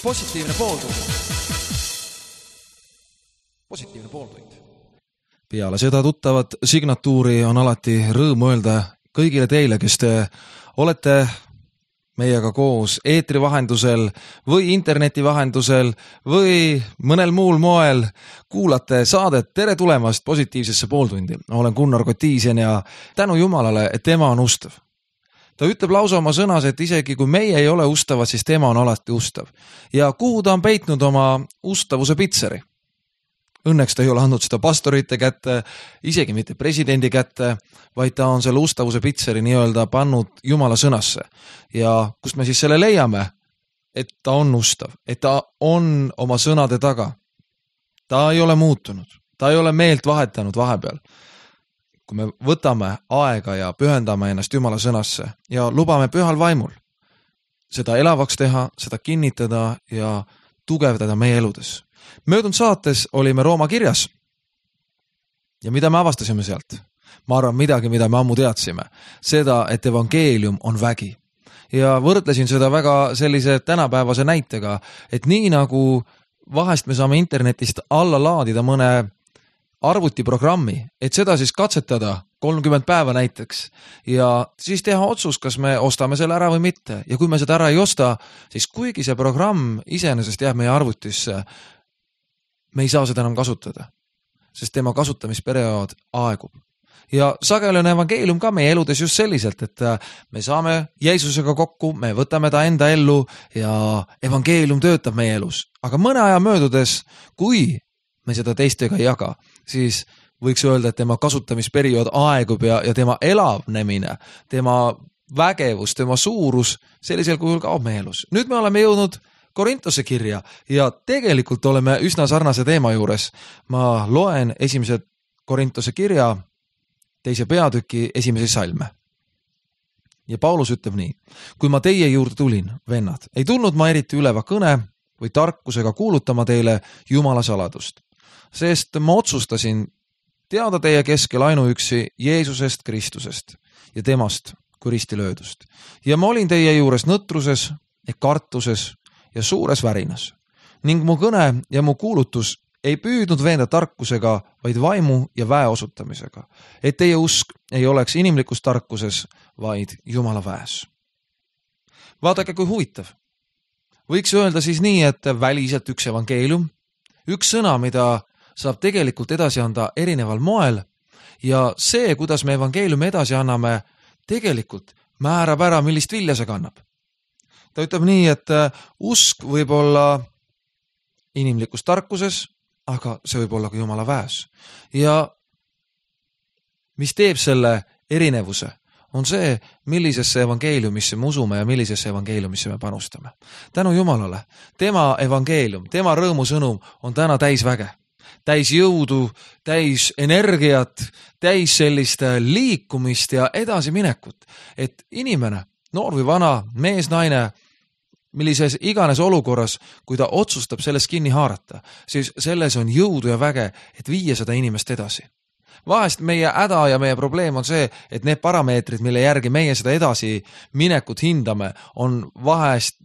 Positiivne pooltund. Positiivne pooltund. Peale seda tuttavat signatuuri on alati rõõm öelda kõigile teile, kes te olete meiega koos eetri vahendusel või interneti vahendusel või mõnel muul moel kuulate saadet Tere tulemast positiivsesse pooltundi. Olen Gunnar Kotiisen ja tänu Jumalale, et tema on ustav. Ta ütleb lausa oma sõnas, et isegi kui meie ei ole ustavad, siis tema on alati ustav. Ja kuhu ta on peitnud oma ustavuse pitseri? Õnneks ta ei ole andnud seda pastorite kätte, isegi mitte presidendi kätte, vaid ta on selle ustavuse pitseri nii-öelda pannud Jumala sõnasse. Ja kust me siis selle leiame? Et ta on ustav, et ta on oma sõnade taga. Ta ei ole muutunud, ta ei ole meelt vahetanud vahepeal. Kui me võtame aega ja pühendame ennast Jumala sõnasse ja lubame pühal vaimul seda elavaks teha, seda kinnitada ja tugevdada meie eludes. Möödunud saates olime Rooma kirjas ja mida me avastasime sealt? Ma arvan midagi, mida me ammu teadsime. Seda, et evangeelium on vägi. Ja võrdlesin seda väga sellise tänapäevase näitega, et nii nagu vahest me saame internetist alla laadida mõne arvutiprogrammi, et seda siis katsetada 30 päeva näiteks ja siis teha otsus, kas me ostame selle ära või mitte. Ja kui me seda ära ei osta, siis kuigi see programm iseenesest jääb meie arvutisse, me ei saa seda enam kasutada, sest tema kasutamisperiood aegub. Ja sageli on evangeelium ka meie eludes just selliselt, et me saame Jeesusega kokku, me võtame ta enda ellu ja evangeelium töötab meie elus. Aga mõne aja möödudes, kui me seda teistega ei jaga, siis võiks öelda, et tema kasutamisperiood aegub ja tema elavnemine, tema vägevus, tema suurus sellisel kujul kaob meie elus. Nüüd me oleme jõudnud Korintose kirja ja tegelikult oleme üsna sarnase teema juures. Ma loen esimese Korintose kirja 2. peatüki 1. salme. Ja Paulus ütleb nii. Kui ma teie juurde tulin, vennad, ei tulnud ma eriti üleva kõne või tarkusega kuulutama teile Jumala saladust. Sest ma otsustasin teada teie keskel ainuüksi Jeesusest Kristusest ja temast kui ristilöödust. Ja ma olin teie juures nõtruses ja kartuses ja suures värinas. Ning mu kõne ja mu kuulutus ei püüdnud veenda tarkusega, vaid vaimu ja väe osutamisega. Et teie usk ei oleks inimlikus tarkuses, vaid Jumala väes. Vaadake, kui huvitav. Võiks öelda siis nii, et väliselt üks evangeelium, üks sõna, mida saab tegelikult edasi anda erineval moel ja see, kuidas me evangeeliumi edasi anname, tegelikult määrab ära, millist vilja see kannab. Ta ütleb nii, et usk võib olla inimlikus tarkuses, aga see võib olla ka Jumala väes. Ja mis teeb selle erinevuse, on see, millisesse evangeeliumisse me usume ja millisesse evangeeliumisse me panustame. Tänu Jumalale, tema evangeelium, tema rõõmusõnum on täna täis väge. Täis jõudu, täis energiat, täis sellist liikumist ja edasiminekut. Et inimene, noor või vana, mees, naine, millises iganes olukorras, kui ta otsustab sellest kinni haarata, siis selles on jõudu ja väge, et viia seda inimest edasi. Vahest meie häda ja meie probleem on see, et need parameetrid, mille järgi meie seda edasi minekut hindame, on vahest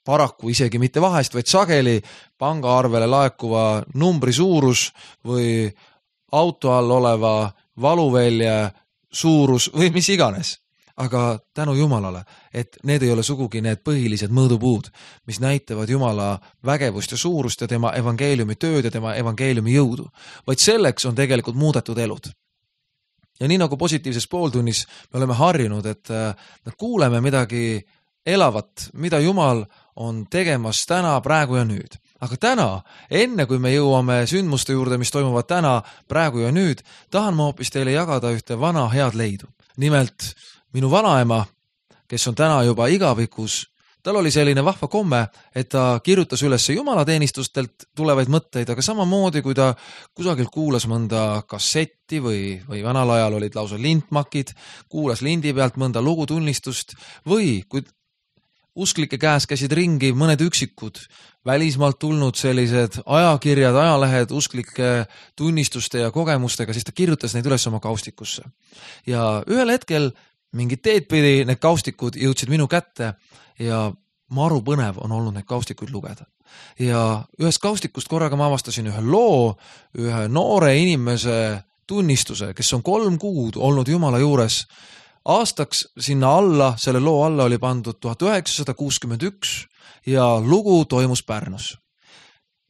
paraku isegi mitte vahest, vaid sageli pangaarvele laekuva numbri suurus või auto all oleva valuvälja suurus või mis iganes. Aga tänu Jumalale, et need ei ole sugugi need põhilised mõõdupuud, mis näitavad Jumala vägevust ja suurust ja tema evangeeliumi tööd ja tema evangeeliumi jõudu. Vaid selleks on tegelikult muudetud elud. Ja nii nagu positiivses pooltunnis me oleme harjunud, et me kuuleme midagi elavat, mida Jumal on tegemas täna, praegu ja nüüd. Aga täna, enne kui me jõuame sündmuste juurde, mis toimuvad täna, praegu ja nüüd, tahan ma hoopis teile jagada ühte vana head leidu. Nimelt minu vanaema, kes on täna juba igavikus, tal oli selline vahva komme, et ta kirjutas üles jumalateenistustelt tulevaid mõtteid, aga samamoodi, kui ta kusagil kuulas mõnda kassetti või vanal ajal olid lausa lintmakid, kuulas lindi pealt mõnda lugutunnistust või kui usklike käes käisid ringi mõned üksikud välismaalt tulnud sellised ajakirjad, ajalehed usklike tunnistuste ja kogemustega, siis ta kirjutas neid üles oma kaustikusse. Ja ühel hetkel mingid teed pidi need kaustikud jõudsid minu kätte ja maru põnev on olnud neid kaustikuid lugeda. Ja ühest kaustikust korraga ma avastasin ühe loo, ühe noore inimese tunnistuse, kes on 3 kuud olnud Jumala juures. Aastaks sinna alla, selle loo alla oli pandud 1961 ja lugu toimus Pärnus.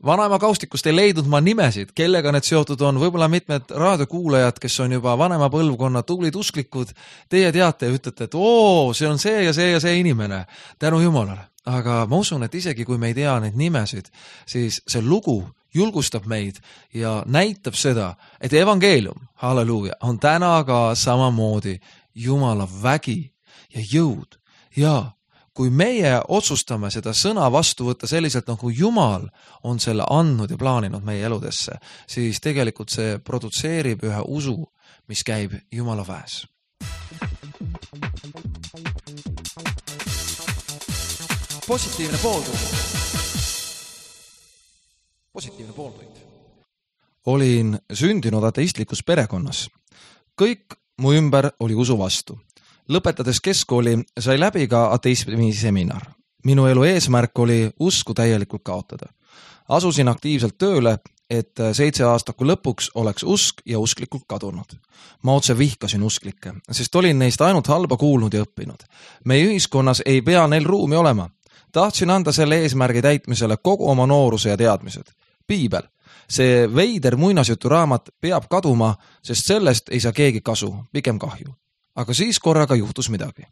Vanaema kaustikust ei leidnud ma nimesid, kellega need seotud on. Võib-olla mitmed raadiokuulajad, kes on juba vanema põlvkonna tublid usklikud, teie teate ja ütlete, et see on see ja see ja see inimene. Tänu Jumalale. Aga ma usun, et isegi kui me ei tea neid nimesid, siis see lugu julgustab meid ja näitab seda, et evangeelium, halleluuja, on täna ka samamoodi Jumala vägi ja jõud. Ja kui meie otsustame seda sõna vastu võtta selliselt, nagu Jumal on selle andnud ja plaaninud meie eludesse, siis tegelikult see produtseerib ühe usu, mis käib Jumala väes. Positiivne pooltund. Olin sündinud ateistlikus perekonnas. Kõik mu ümber oli usu vastu. Lõpetades keskkooli sai läbi ka ateismi seminar. Minu elu eesmärk oli usku täielikult kaotada. Asusin aktiivselt tööle, et 7 aastaku lõpuks oleks usk ja usklikult kadunud. Ma otse vihkasin usklikke, sest olin neist ainult halba kuulnud ja õppinud. Meie ühiskonnas ei pea neil ruumi olema. Tahtsin anda selle eesmärgi täitmisele kogu oma nooruse ja teadmised. Piibel, see veider muinasjuturaamat peab kaduma, sest sellest ei saa keegi kasu, pigem kahju. Aga siis korraga juhtus midagi.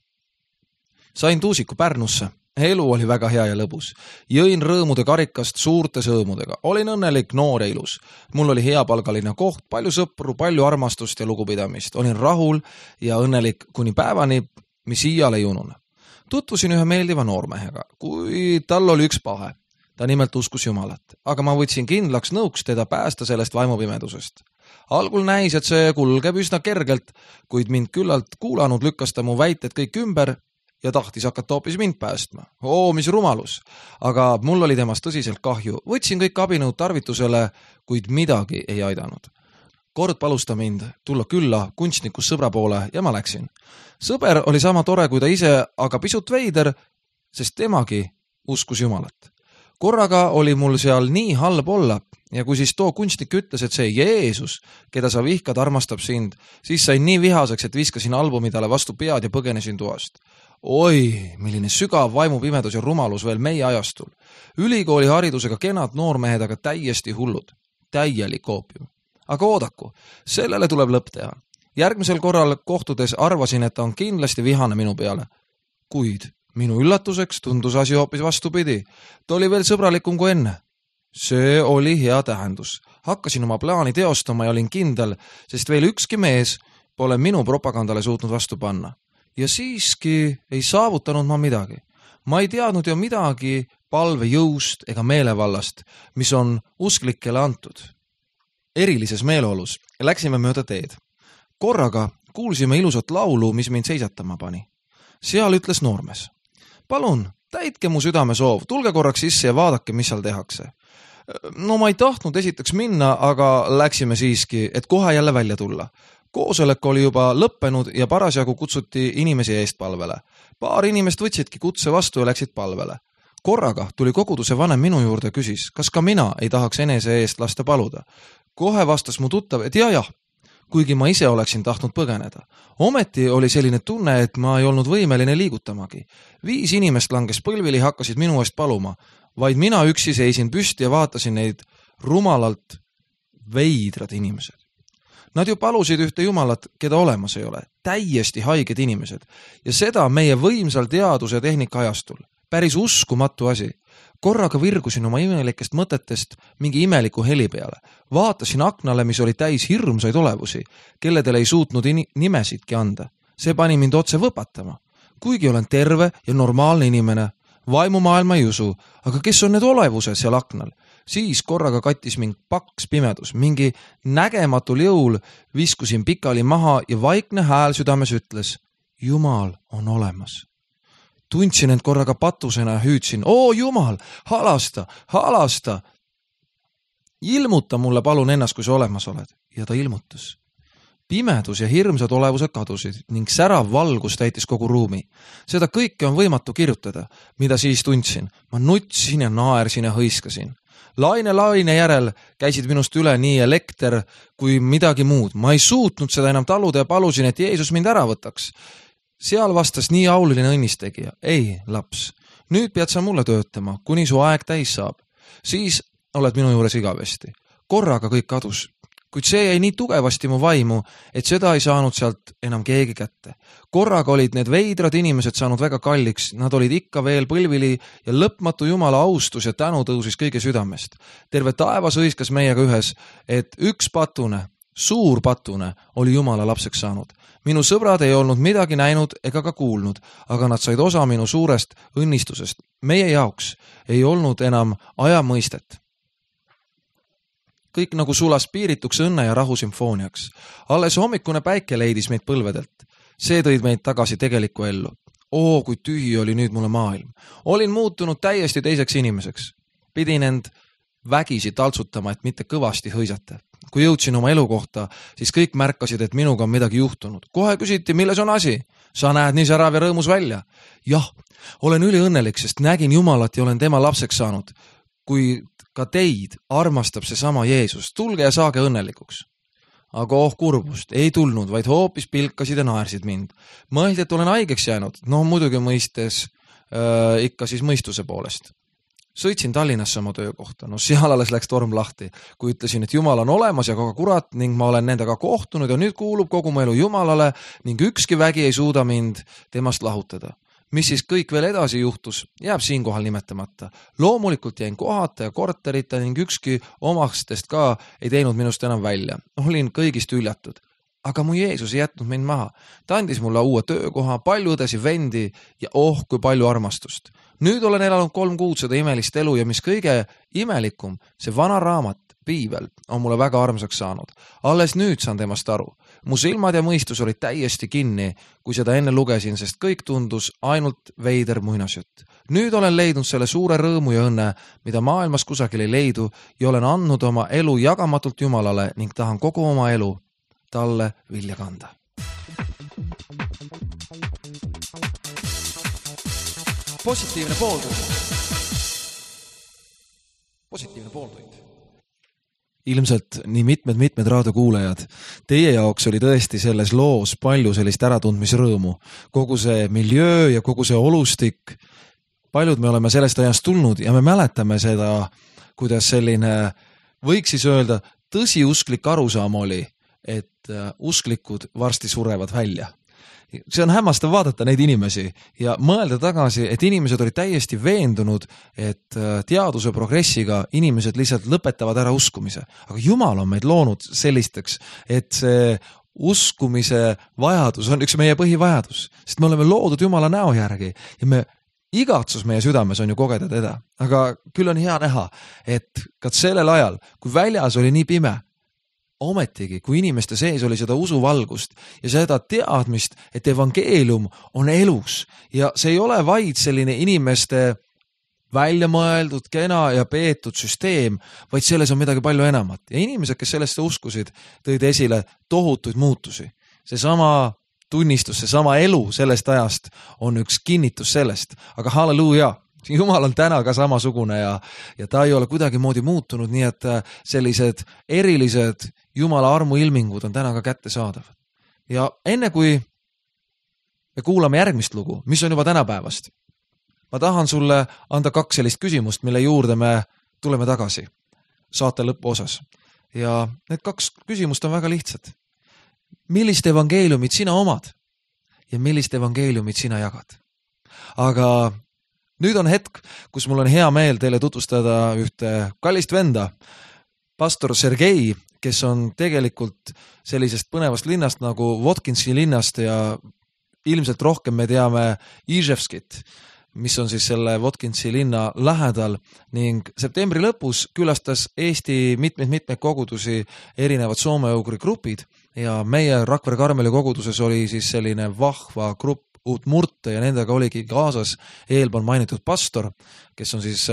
Sain tuusiku Pärnusse. Elu oli väga hea ja lõbus. Jõin rõõmude karikast suurte sõõmudega. Olin õnnelik, noor ja ilus. Mul oli heapalgaline koht, palju sõpru, palju armastust ja lugupidamist. Olin rahul ja õnnelik kuni päevani, mis iial ei unune. Tutvusin ühe meeldiva noormehega, kui tal oli üks pahe. Ta nimelt uskus Jumalat, aga ma võtsin kindlaks nõuks teda päästa sellest vaimupimedusest. Algul näis, et see kulgeb üsna kergelt, kuid mind küllalt kuulanud lükkas ta mu väited kõik ümber ja tahtis hakata hoopis mind päästma. Mis rumalus! Aga mul oli temast tõsiselt kahju. Võtsin kõik abinõud tarvitusele, kuid midagi ei aidanud. Kord palus ta mind tulla külla kunstnikus sõbra poole ja ma läksin. Sõber oli sama tore kui ta ise, aga pisut veider, sest temagi uskus Jumalat. Korraga oli mul seal nii halb olla ja kui siis too kunstnik ütles, et see Jeesus, keda sa vihkad, armastab sind, siis sain nii vihaseks, et viskasin albumi talle vastu pead ja põgenesin toast. Milline sügav vaimupimedus ja rumalus veel meie ajastul. Ülikooli haridusega kenad noormehed, aga täiesti hullud. Täielik oopium. Aga oodaku, sellele tuleb lõpp teha. Järgmisel korral kohtudes arvasin, et ta on kindlasti vihane minu peale. Kuid minu üllatuseks tundus asi hoopis vastupidi. Ta oli veel sõbralikum kui enne. See oli hea tähendus. Hakkasin oma plaani teostama ja olin kindel, sest veel ükski mees pole minu propagandale suutnud vastu panna. Ja siiski ei saavutanud ma midagi. Ma ei teadnud ju midagi palve jõust ega meelevallast, mis on usklikele antud. Erilises meeleolus läksime mööda teed. Korraga kuulsime ilusat laulu, mis mind seisatama pani. Seal ütles noormees. Palun, täitke mu südame soov, tulge korraks sisse ja vaadake, mis seal tehakse. No ma ei tahtnud esiteks minna, aga läksime siiski, et kohe jälle välja tulla. Koosolek oli juba lõppenud ja parasjagu kutsuti inimesi eest palvele. Paar inimest võtsidki kutse vastu ja läksid palvele. Korraga tuli koguduse vanem minu juurde ja küsis, kas ka mina ei tahaks enese eest lasta paluda. Kohe vastas mu tuttav, et jah, kuigi ma ise oleksin tahtnud põgeneda. Ometi oli selline tunne, et ma ei olnud võimeline liigutamagi. 5 inimest langes põlvili, hakkasid minu eest paluma. Vaid mina üksi seisin püsti ja vaatasin neid rumalalt veidrad inimesed. Nad ju palusid ühte Jumalat, keda olemas ei ole. Täiesti haiged inimesed. Ja seda meie võimsal teaduse ja tehnika ajastul. Päris uskumatu asi. Korraga virgusin oma imelikest mõtetest mingi imeliku heli peale. Vaatasin aknale, mis oli täis hirmsaid olevusi, kelledele ei suutnud nimesidki anda. See pani mind otse võpatama. Kuigi olen terve ja normaalne inimene, vaimumaailma ei usu, aga kes on need olevused seal aknal? Siis korraga kattis mind paks pimedus. Mingi nägematul jõul viskusin pikali maha ja vaikne hääl südames ütles, Jumal on olemas. Tundsin end korraga patusena ja hüüdsin, Jumal, halasta. Ilmuta mulle palun ennast, kui sa olemas oled. Ja ta ilmutas. Pimedus ja hirmsad olevused kadusid ning särav valgus täitis kogu ruumi. Seda kõike on võimatu kirjutada, mida siis tundsin. Ma nutsin ja naersin ja hõiskasin. Laine järel käisid minust üle nii elekter kui midagi muud. Ma ei suutnud seda enam taluda ja palusin, et Jeesus mind ära võtaks. Seal vastas nii auliline õnnistegija. Ei, laps, nüüd pead sa mulle töötama, kuni su aeg täis saab. Siis oled minu juures igavesti. Korraga kõik kadus, kuid see jäi nii tugevasti mu vaimu, et seda ei saanud sealt enam keegi kätte. Korraga olid need veidrad inimesed saanud väga kalliks, nad olid ikka veel põlvili ja lõpmatu Jumala austus ja tänu tõusis kõige südamest. Terve taevas hõiskas meiega ühes, et üks patune, suur patune oli Jumala lapseks saanud. Minu sõbrad ei olnud midagi näinud ega ka kuulnud, aga nad said osa minu suurest õnnistusest. Meie jaoks ei olnud enam ajamõistet. Kõik nagu sulas piirituks õnne ja rahu sümfooniaks. Alles hommikune päike leidis meid põlvedelt. See tõid meid tagasi tegelikku ellu. Kui tühi oli nüüd mulle maailm. Olin muutunud täiesti teiseks inimeseks. Pidin end vägisi taltsutama, et mitte kõvasti hõisata. Kui jõudsin oma elu kohta, siis kõik märkasid, et minuga on midagi juhtunud. Kohe küsiti, milles on asi? Sa näed nii särav ja rõõmus välja. Jah, olen üliõnnelik, sest nägin Jumalat ja olen tema lapseks saanud. Kui ka teid armastab see sama Jeesus, tulge ja saage õnnelikuks. Aga kurbust ei tulnud, vaid hoopis pilkasid ja naersid mind. Mõeldi, et olen haigeks jäänud. No muidugi mõistes ikka siis mõistuse poolest. Sõitsin Tallinnasse oma töökohta. No seal alles läks torm lahti, kui ütlesin, et Jumal on olemas ja ka kurat ning ma olen nendega kohtunud ja nüüd kuulub kogu mu elu Jumalale ning ükski vägi ei suuda mind temast lahutada. Mis siis kõik veel edasi juhtus, jääb siinkohal nimetamata. Loomulikult jäin kohata ja korterita ning ükski omastest ka ei teinud minust enam välja. Olin kõigist üljatud. Aga mu Jeesus ei jätnud mind maha. Ta andis mulle uue töökoha, palju õdesi vendi ja kui palju armastust. Nüüd olen elanud 3 kuud seda imelist elu ja mis kõige imelikum, see vana raamat, Piibel, on mulle väga armsaks saanud. Alles nüüd saan temast aru. Mu silmad ja mõistus olid täiesti kinni, kui seda enne lugesin, sest kõik tundus ainult veider muinasjutt. Nüüd olen leidnud selle suure rõõmu ja õnne, mida maailmas kusagil ei leidu ja olen andnud oma elu jagamatult Jumalale ning tahan kogu oma elu talle vilja kanda. Positiivne pooltund. Ilmselt nii mitmed raadiokuulajad. Teie jaoks oli tõesti selles loos palju sellist äratundmisrõõmu. Kogu see miljöö ja kogu see olustik. Paljud me oleme sellest ajast tulnud ja me mäletame seda, kuidas selline, võiks siis öelda, tõsiusklik arusaam oli, et usklikud varsti surevad välja. See on hämmastav vaadata neid inimesi ja mõelda tagasi, et inimesed olid täiesti veendunud, et teaduse progressiga inimesed lihtsalt lõpetavad ära uskumise. Aga Jumal on meid loonud sellisteks, et see uskumise vajadus on üks meie põhivajadus, sest me oleme loodud Jumala näo järgi ja igatsus meie südames on ju kogeda teda. Aga küll on hea näha, et ka sellel ajal, kui väljas oli nii pime, ometigi, kui inimeste sees oli seda usuvalgust ja seda teadmist, et evangeelium on elus ja see ei ole vaid selline inimeste välja mõeldud, kena ja peetud süsteem, vaid selles on midagi palju enamat. Ja inimesed, kes sellesse uskusid, tõid esile tohutuid muutusi. Seesama tunnistus, seesama elu sellest ajast on üks kinnitus sellest, aga halleluuja! Jumal on täna ka samasugune ja ta ei ole kuidagi moodi muutunud, nii et sellised erilised Jumala armu ilmingud on täna ka kättesaadav. Ja enne kui me kuulame järgmist lugu, mis on juba tänapäevast, ma tahan sulle anda 2 sellist küsimust, mille juurde me tuleme tagasi saate lõpuosas. Ja need 2 küsimust on väga lihtsad. Millist evangeeliumit sina omad ja millist evangeeliumit sina jagad? Aga nüüd on hetk, kus mul on hea meel teile tutvustada ühte kallist venda, pastor Sergei, kes on tegelikult sellisest põnevast linnast nagu Votkinsi linnast ja ilmselt rohkem me teame Iževskit, mis on siis selle Votkinsi linna lähedal ning septembri lõpus külastas Eesti mitmeid kogudusi erinevad soome-ugri grupid ja meie Rakvere Karmeli koguduses oli siis selline vahva grupp Udmurte ja nendega oligi kaasas eelpool mainitud pastor, kes on siis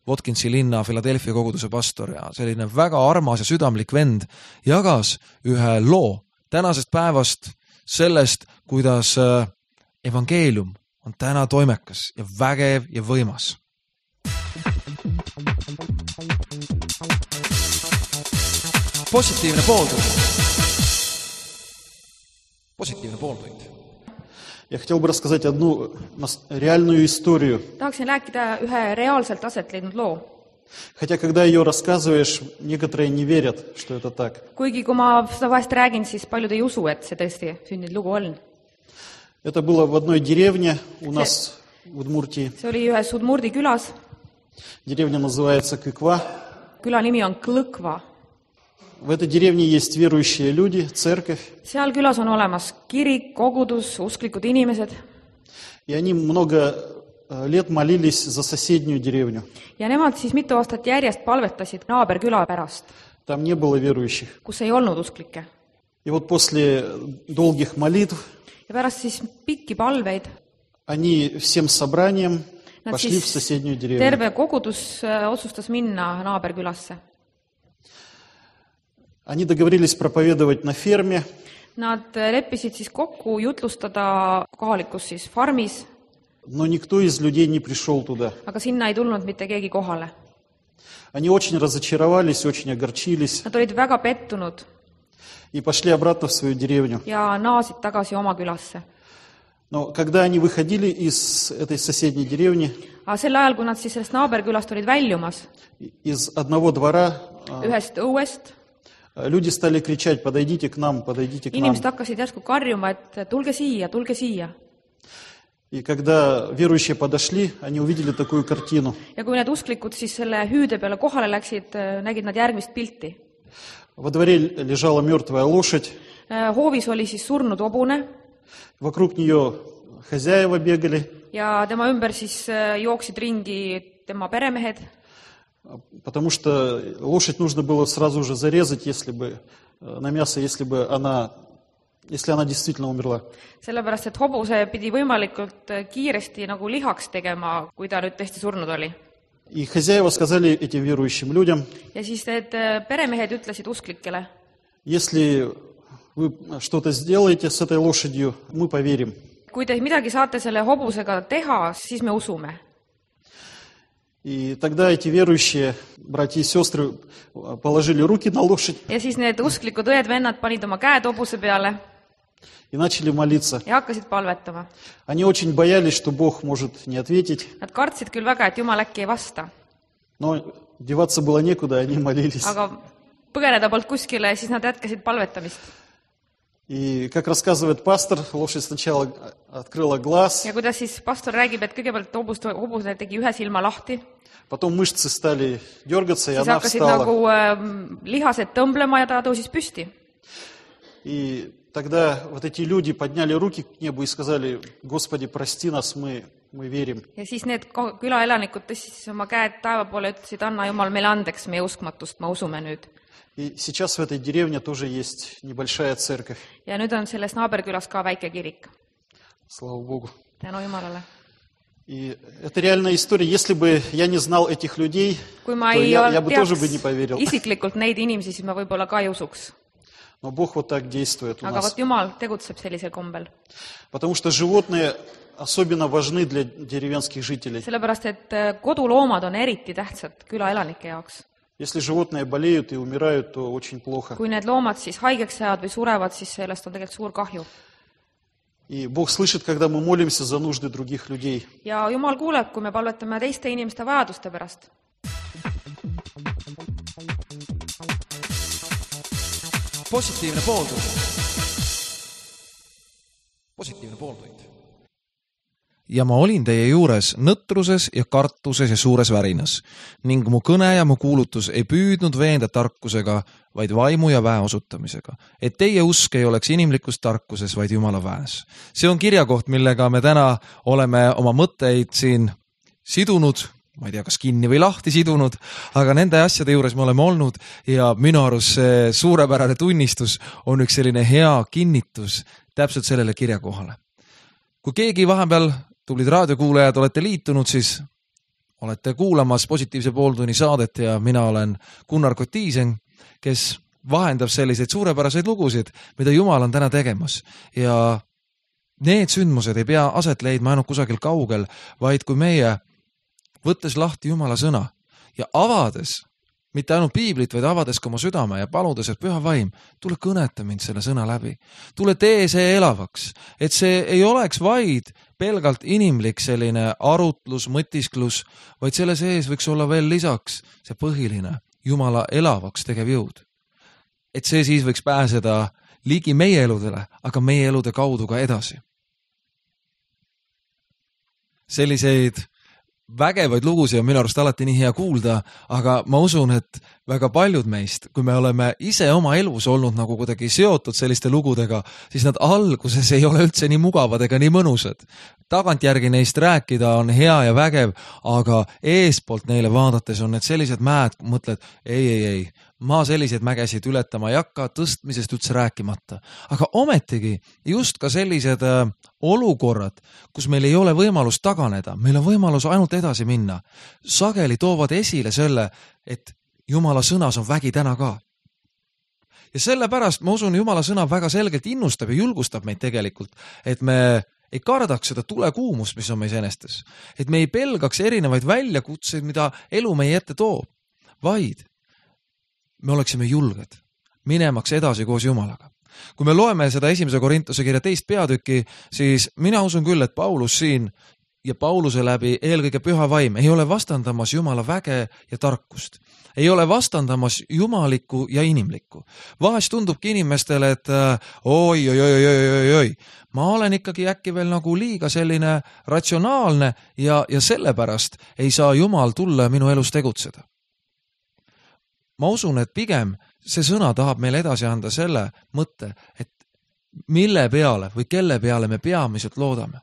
Votkinsi linna Philadelphia koguduse pastor ja selline väga armas ja südamlik vend jagas ühe loo, tänasest päevast, sellest, kuidas evangeelium on täna toimekas ja vägev ja võimas. Positiivne pooltund. Positiivne pooltund. Я хотел бы рассказать одну реальную историю. Tahaksin rääkida ühe reaalselt aset leidnud loo. Хотя, когда ее рассказываешь, некоторые не верят, что это так. Kuigi kui ma seda vahest räägin, siis paljud ei usu, et see tõesti sündinud lugu on. Это было в одной деревне у нас в Удмуртии. See oli ühes Udmurdi külas. Деревня называется Кыква. Küla nimi on Klõkva. В этой деревне есть верующие люди, церковь. Seal külas on olemas kirik, kogudus, usklikud inimesed. И они много лет молились за соседнюю деревню. Ja nemad siis mitu aastat järjest palvetasid naaberküla pärast, Там не было верующих. kus ei olnud usklikke. И вот после долгих молитв Ja pärast siis pikki palveid они всем собранием nad пошли в siis соседнюю деревню. terve kogudus otsustas minna naaberkülasse. Они договорились проповедовать на ферме. Nad leppisid siis kokku jutlustada kohalikus siis farmis, Но никто из людей не пришел туда. aga sinna ei tulnud mitte keegi kohale. Они очень разочаровались, очень огорчились Nad olid väga pettunud и пошли обратно в свою деревню. ja naasid tagasi oma külasse. Но когда они выходили из этой соседней деревни, Aga sel ajal, kui nad siis sellest naaberkülast olid väljumas из одного двора ühest õuest, люди стали кричать: подойдите к нам, подойдите к нам. inimesed hakkasid järsku karjuma, et tulge siia, tulge siia. И когда верующие подошли, они увидели такую картину. Ja kui need usklikud siis selle hüüde peale kohale läksid, nägid nad järgmist pilti. Во дворе лежала мертвая лошадь, Hoovis oli siis surnud hobune вокруг нее хозяева бегали, ja tema ümber siis jooksid ringi tema peremehed, потому что лошадь нужно было сразу же зарезать, если бы на мясо, если она действительно умерла. sellepärast, et hobuse pidi võimalikult kiiresti nagu lihaks tegema, kui ta nüüd tõesti surnud oli. И хозяева сказали этим верующим людям: Ja siis need peremehed ütlesid usklikele, если вы что-то сделаете с этой лошадью, мы поверим. kui te midagi saate selle hobusega teha, siis me usume. И тогда эти верующие, братья и сестры, положили руки на лошадь Ja siis need usklikud õed-vennad panid oma käed hobuse peale и начали молиться. ja hakkasid palvetama. Они очень боялись, что Бог может не ответить, Nad kartsid küll väga, et Jumal äkki ei vasta, но деваться было некуда, они молились. aga põgeneda polnud kuskile, siis nad jätkasid palvetamist. И, как рассказывает пастор, лошадь сначала открыла глаз, Ja kuidas siis pastor räägib, et kõigepealt hobuse tegi ühe silma lahti, потом мышцы стали дергаться, и siis она hakkasid встала. nagu lihased tõmblema ja ta tõusis püsti. И тогда вот эти люди подняли руки к небу и сказали: Господи, прости нас, мы верим. Ja siis need külaelanikud tõstsid siis oma käed taeva poole ja ütlesid: anna Jumal meile andeks meie uskmatust, me usume nüüd. И сейчас в этой деревне тоже есть небольшая церковь. Ja nüüd on selles naaberkülas ka väike kirik. Слава Богу. Tänu Jumalale. И это реальная история. Если бы я не знал этих людей, Kui ma то ei я бы тоже teaks бы не поверил. isiklikult neid inimesi, siis ma võib-olla ka ei usuks. Но Бог вот так действует у Aga нас. vot Jumal tegutseb sellisel kombel. Потому что животные особенно важны для деревенских жителей. Sellepärast, et koduloomad on eriti tähtsad külaelanike jaoks. Если животные болеют и умирают, то очень плохо. Kui need loomad siis haigeks jäävad või surevad, siis sellest on tegelikult suur kahju. И Бог слышит, когда мы молимся за нужды других людей. Ja Jumal kuuleb, kui me palvetame teiste inimeste vajaduste pärast. Positiivne pooltund. Positiivne pooltund. Ja ma olin teie juures nõtruses ja kartuses ja suures värinas ning mu kõne ja mu kuulutus ei püüdnud veenda tarkusega, vaid vaimu ja väe osutamisega, et teie usk ei oleks inimlikus tarkuses, vaid Jumala väes. See on kirjakoht, millega me täna oleme oma mõtteid siin sidunud, ma ei tea, kas kinni või lahti sidunud, aga nende asjade juures me oleme olnud ja minu arust see suurepärane tunnistus on üks selline hea kinnitus täpselt sellele kirjakohale. Kui keegi vahepeal tublid raadiokuulajad olete liitunud, siis olete kuulamas Positiivse pooltunni saadet ja mina olen Gunnar Kotiisen, kes vahendab selliseid suurepäraseid lugusid, mida Jumal on täna tegemas. Ja need sündmused ei pea aset leidma ainult kusagil kaugel, vaid kui meie, võttes lahti Jumala sõna ja avades, mitte ainult piiblit, vaid avades ka oma südame ja paludes, et Püha Vaim, tule kõneta mind selle sõna läbi. Tule tee see elavaks, et see ei oleks vaid pelgalt inimlik selline arutlus, mõtisklus, vaid selle sees võiks olla veel lisaks see põhiline Jumala elavaks tegev jõud. Et see siis võiks pääseda ligi meie eludele, aga meie elude kaudu ka edasi. Selliseid vägevaid lugusid on minu arust alati nii hea kuulda, aga ma usun, et väga paljud meist, kui me oleme ise oma elus olnud nagu kuidagi seotud selliste lugudega, siis nad alguses ei ole üldse nii mugavad ega nii mõnusad. Tagantjärgi neist rääkida on hea ja vägev, aga eespoolt neile vaadates on need sellised mäed, mõtled, ei, ma selliseid mägesid ületama ei hakka, tõstmisest üldse rääkimata. Aga ometigi just ka sellised olukorrad, kus meil ei ole võimalus taganeda, meil on võimalus ainult edasi minna. Sageli toovad esile selle, et Jumala sõnas on vägi täna ka. Ja sellepärast ma usun, Jumala sõna väga selgelt innustab ja julgustab meid tegelikult, et me ei kardaks seda tulekuumust, mis on meis enestes. Et me ei pelgaks erinevaid väljakutseid, mida elu meie ette toob, vaid me oleksime julged minemaks edasi koos Jumalaga. Kui me loeme seda 1. Korintuse kirja 2. peatüki, siis mina usun küll, et Paulus siin ja Pauluse läbi eelkõige Püha Vaim ei ole vastandamas Jumala väge ja tarkust. Ei ole vastandamas jumalikku ja inimlikku. Vahest tundubki inimestele, et oi, ma olen ikkagi äkki veel nagu liiga selline ratsionaalne ja sellepärast ei saa Jumal tulla minu elus tegutseda. Ma usun, et pigem see sõna tahab meile edasi anda selle mõtte, et mille peale või kelle peale me peamiselt loodame.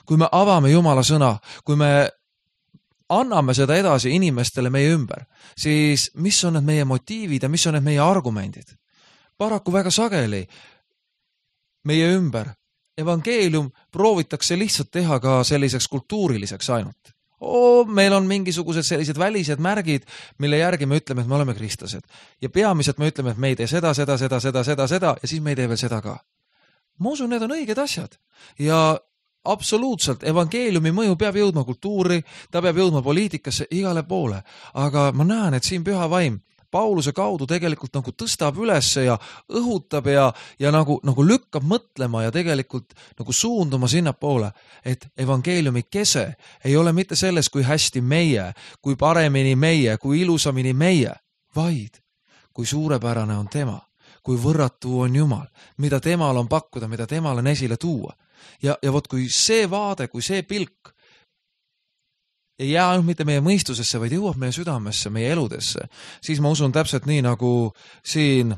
Kui me avame Jumala sõna, kui me anname seda edasi inimestele meie ümber, siis mis on need meie motiivid ja mis on need meie argumendid? Paraku väga sageli meie ümber evangeelium proovitakse lihtsalt teha ka selliseks kultuuriliseks ainult. Meil on mingisugused sellised välised märgid, mille järgi me ütleme, et me oleme kristlased. Ja peamiselt me ütleme, et me ei tee seda ja siis me ei tee veel seda ka. Ma usun, need on õiged asjad. Ja absoluutselt, evangeeliumi mõju peab jõudma kultuuri, ta peab jõudma poliitikasse igale poole. Aga ma näen, et siin Püha Vaim Pauluse kaudu tegelikult nagu tõstab üles ja õhutab ja nagu lükkab mõtlema ja tegelikult nagu suunduma sinna poole, et evangeeliumi kese ei ole mitte selles, kui hästi meie, kui paremini meie, kui ilusamini meie, vaid kui suurepärane on tema, kui võrratu on Jumal, mida temal on pakkuda, mida temal on esile tuua. Ja vot kui see vaade, kui see pilk ei jää ainult mitte meie mõistusesse, vaid jõuab meie südamesse, meie eludesse, siis ma usun täpselt nii, nagu siin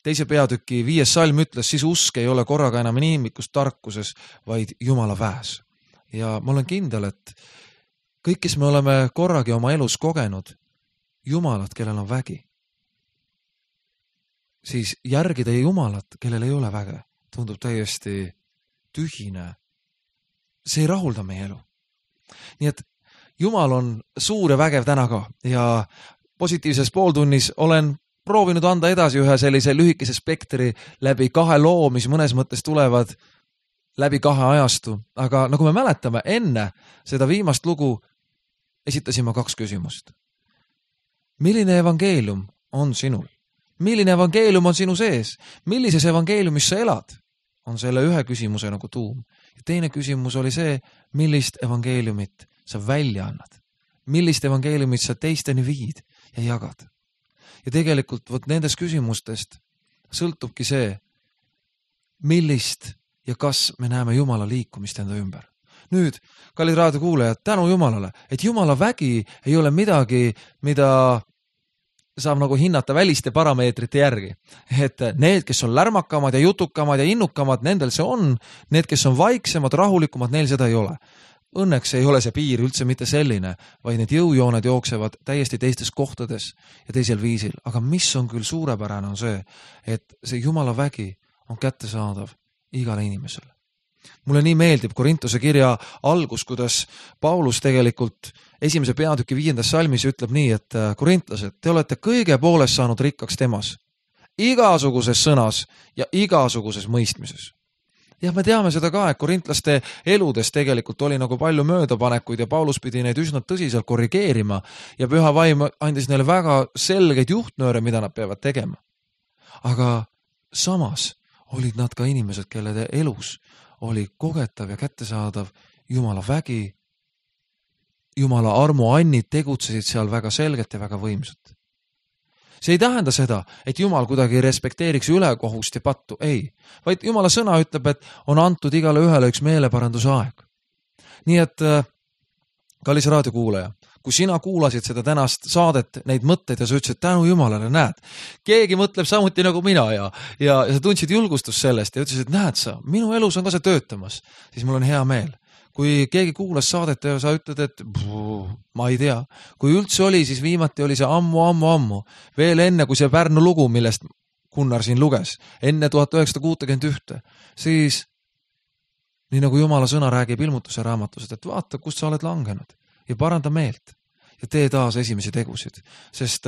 2. peatüki 5. salm ütles, siis usk ei ole korraga enam inimlikus tarkuses, vaid Jumala väes. Ja ma olen kindel, et kõik, kes me oleme korragi oma elus kogenud Jumalat, kellel on vägi, siis järgida Jumalat, kellel ei ole väge, tundub täiesti tühine. See ei rahulda meie elu. Nii et Jumal on suur ja vägev täna ka ja positiivses pooltunnis olen proovinud anda edasi ühe sellise lühikese spektri läbi 2 loo, mis mõnes mõttes tulevad läbi 2 ajastu. Aga nagu me mäletame, enne seda viimast lugu esitasin ma 2 küsimust. Milline evangeelium on sinul? Milline evangeelium on sinu sees? Millises evangeeliumis sa elad? On selle ühe küsimuse nagu tuum. Ja teine küsimus oli see, millist evangeeliumit sa välja annad. Millist evangeeliumit sa teisteni viid ja jagad. Ja tegelikult võt nendest küsimustest sõltubki see, millist ja kas me näeme Jumala liikumist enda ümber. Nüüd, kallid raadiokuulajad, tänu Jumalale, et Jumala vägi ei ole midagi, mida saab nagu hinnata väliste parameetrite järgi. Et need, kes on lärmakamad ja jutukamad ja innukamad, nendel see on. Need, kes on vaiksemad, rahulikumad, neil seda ei ole. Õnneks ei ole see piir üldse mitte selline, vaid need jõujooned jooksevad täiesti teistes kohtades ja teisel viisil. Aga mis on küll suurepärane on see, et see Jumala vägi on kättesaadav igale inimesele. Mulle nii meeldib Korintuse kirja algus, kuidas Paulus tegelikult 1. peatüki 5. salmis ütleb nii, et korintlased, te olete kõige poolest saanud rikkaks temas. igasuguses sõnas ja igasuguses mõistmises. Ja me teame seda ka, et korintlaste eludes tegelikult oli nagu palju möödapanekuid ja Paulus pidi neid üsna tõsiselt korrigeerima ja püha vaim andis neile väga selgeid juhtnööre, mida nad peavad tegema. Aga samas olid nad ka inimesed, kelle elus oli kogetav ja kättesaadav Jumala vägi, Jumala armuannid tegutsesid seal väga selgelt ja väga võimsalt. See ei tähenda seda, et Jumal kuidagi respekteeriks ülekohust ja pattu, ei. Vaid Jumala sõna ütleb, et on antud igale ühele üks meeleparanduse aeg. Nii et, kallis raadiokuulaja, kui sina kuulasid seda tänast saadet, neid mõtteid ja sa ütlesid, tänu Jumalale, näed, keegi mõtleb samuti nagu mina ja sa tundsid julgustust sellest ja ütlesid, näed sa, minu elus on ka see töötamas, siis mul on hea meel. Kui keegi kuulas saadet ja sa ütled, et ma ei tea, kui üldse oli, siis viimati oli see ammu, veel enne kui see Pärnu lugu, millest Gunnar siin luges, enne 1961, siis nii nagu Jumala sõna räägib ilmutuse raamatused, et vaata, kust sa oled langenud ja paranda meelt ja tee taas esimesi tegusid, sest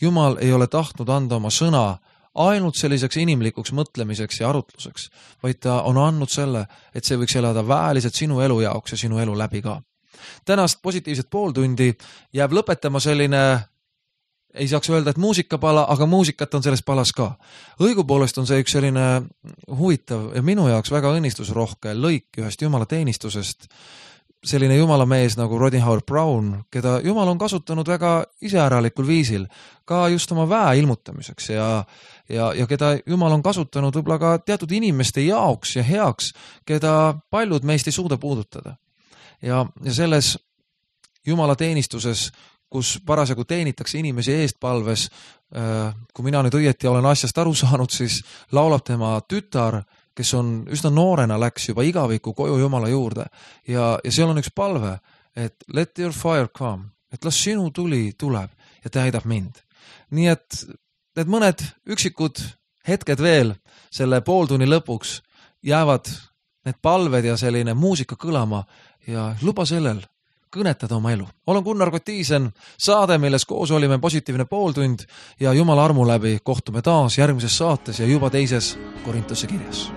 Jumal ei ole tahtnud anda oma sõna ainult selliseks inimlikuks mõtlemiseks ja arutluseks, vaid ta on andnud selle, et see võiks elada väeliselt sinu elu jaoks ja sinu elu läbi ka. Tänast positiivset pooltundi jääb lõpetama selline, ei saaks öelda, et muusikapala, aga muusikat on selles palas ka. Õigupoolest on see üks selline huvitav ja minu jaoks väga õnnistusrohke lõik ühest Jumala teenistusest, selline Jumala mees nagu Rodney Howard-Browne, keda Jumal on kasutanud väga iseäralikul viisil, ka just oma väe ilmutamiseks ja keda Jumal on kasutanud võib-olla ka teatud inimeste jaoks ja heaks, keda paljud meist ei suuda puudutada. Ja selles Jumala teenistuses, kus parasjagu teenitakse inimesi eestpalves, kui mina nüüd õieti olen asjast aru saanud, siis laulab tema tütar, kes on üsna noorena läks juba igaviku koju Jumala juurde ja seal on üks palve, et let your fire come, et las sinu tuli tuleb ja täidab mind. Nii et need mõned üksikud hetked veel selle pooltunni lõpuks jäävad need palved ja selline muusika kõlama ja luba sellel kõnetada oma elu. Olen Gunnar Kotiisen, saade, milles koos olime positiivne pooltund ja Jumala armu läbi kohtume taas järgmises saates ja juba teises Korintuse kirjas.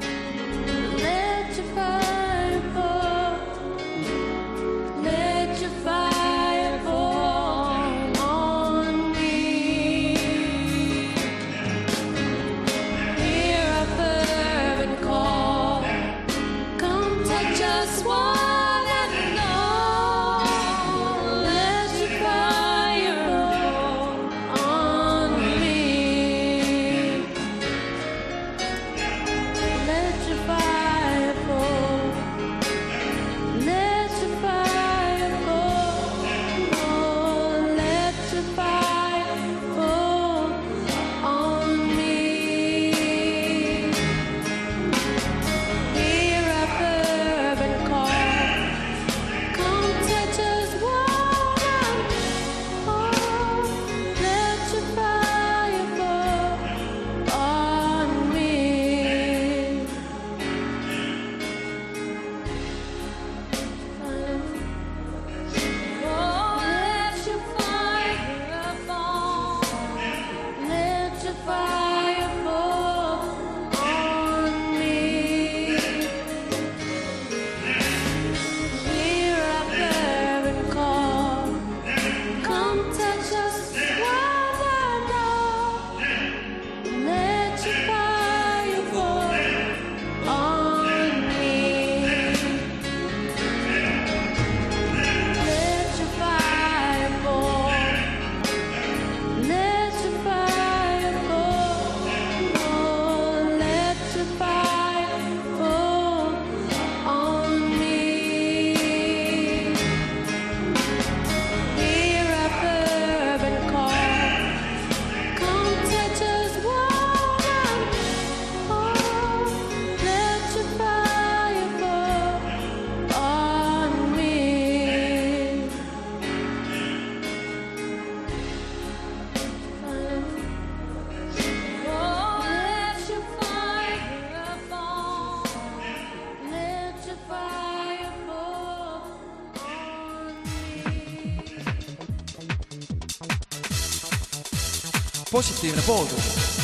Positiivne pooltund.